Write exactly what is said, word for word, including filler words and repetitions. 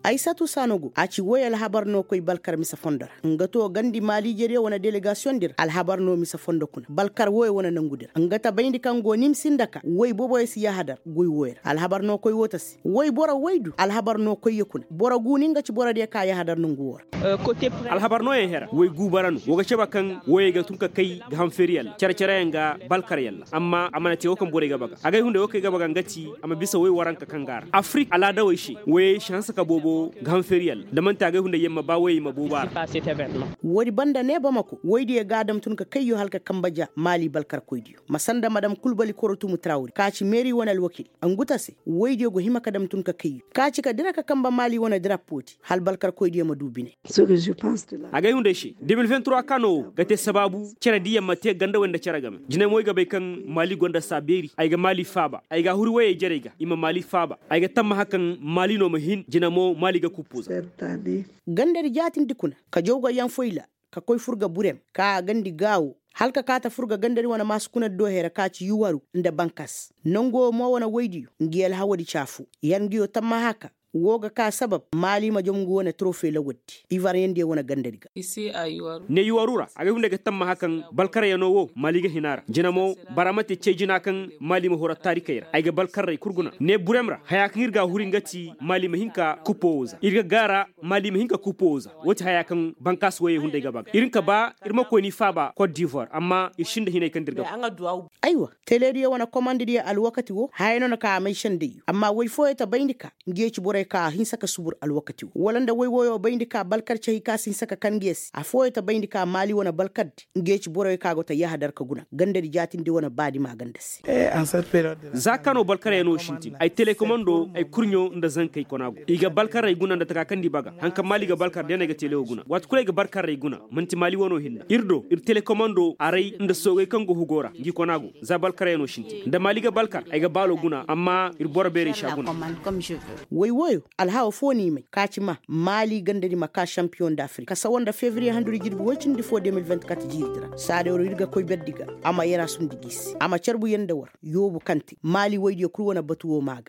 Aysatu sanogo a ci woy alhabar no koy balkar mise fondo ra nga to gandi maali jeriyo wane delegasiyoŋ di ra alhabar no mise fondo kuna balkar woy wane nangu di ra nga ta bayndi kaŋ go nimsi nda ka woy boboyo si yahadar goy woy ra alhabar no koy wo ta se woy boro woy du alhabar no koy ye kuna boro gu ni nga ci boro diyo ka yahadar nangu wo ra. Alhabar no yaŋ hera woy gu bara no wo ga caba kaŋ woyey ga tun ka kay ga ham feeri yalla cere-cere yaŋ ga balkar yalla amma a mana te wo kaŋ borey ga baga agay hunday wo kaŋ ay ga baga nga ti a ma bisa woy waranka kaŋ ga a ra afirik alaadawey se woyey si hanse ka boobo ga ham feeri yalla da manti agay hunday yaŋ ma ba woyey ma boobo a ra. Woodi banda ne bamako woydiyo ga a dam tun ka kayyo hala ka kambe ja maali balkarkoydiyo ma sanda madam kulbali korotumu tarawri ka ci meeri wane alwakil. Ngu ta se woydiyo go hima ka dam tun ka kayyo ka ci ka dira ka kambe maali wane darapoodi hala balkarkoydiyo ma du bine. Agay hunday se de mil vingt trois kaano wo ga te sabaabu cere diyaŋ ma te ganda way nda cere game jine mo ay ga bay kaŋ maali gonda saa beeri ay ga maali faaba ay ga a huri woyey jarey ga i ma maali faaba. Ay ga tammaha kaŋ maali no ma hin jine mo maali ga kuppu za. Gandari jaatindi kuna ka jaw ga yaŋ foyla ka koy fur ga burem ka gandi gaawo hala ka kaata fur ga gandari wane maasi kuna di do hera ka ci yuwaru nda bankas nangu wo mo wane woydiyo ngi alhawadi ci afo. Yar ngi yo tammaha ka wo ga ka sabab maali ma jom ngu wane torofe lawal di ivaryaŋ diyo wane gandari ga. Ne yuwaru ra agay hunday ga tammaha kaŋ balkarayano wo maali ga hina ra jina mo bara ma te cee jina kaŋ maali ma hura taarikey ra ay ga balkarray kul guna ne burem ra haya kaŋ ir ga a huri nga ti maali ma hin ka kuppo wo za ir ga gaara maali ma hin ka kuppo wo za. Wo ti haya kaŋ bankaasi woyey hunday ga ba ga ir hin ka ba ir ma koy ni faaba kot divoir amma ir sinda hinay kaŋ da ir ga ba. Aywa, teleediyo wane komandidiyo alwakati wo haya no na ka a may sendayyo amma woy fooyo ta bayndi ka ngiyo ci borey ka hinsa ka subur alwakati wo wala nda woy woyo bayndi ka balkar cahi ka si hinsa ka kan ngiyo se afooyo ta bayndi ka maali wane balkardi ngiyo ci borey ka go ta yahadar ka guna gandadi jaatindi wane baadi maaganda se. Za ka no balkarayano sintin ay telekomando ay kurɲo nda zankey kona go i ga balkarey guna nda taka kaŋ di baga haŋ kaŋ maali ga balkar deeney ga telewo guna waati kulu ay ga balkarey guna man'ti maali wano hinna ir do ir telekomando aray nda soogey kaŋ go hugo ra ngi kona go za balkarayano sintin nda maali ga balkar ay ga baalo guna amma ir boro beerey si a guna. Way woyo alhawa fo n'i may ka ci ma maali gandadi ma ka sampiyoŋ nda afirika ka sawa nda fevriye handuri jirbi woy cindi fo de mil vingt-quatre jiiridi ra saadayro ir ga koy berdi ga a ma yaraasundi g'i se a ma carbuyaŋ nda war yoobu kaŋ te maali woydiyo kul wane batu wo maa ga.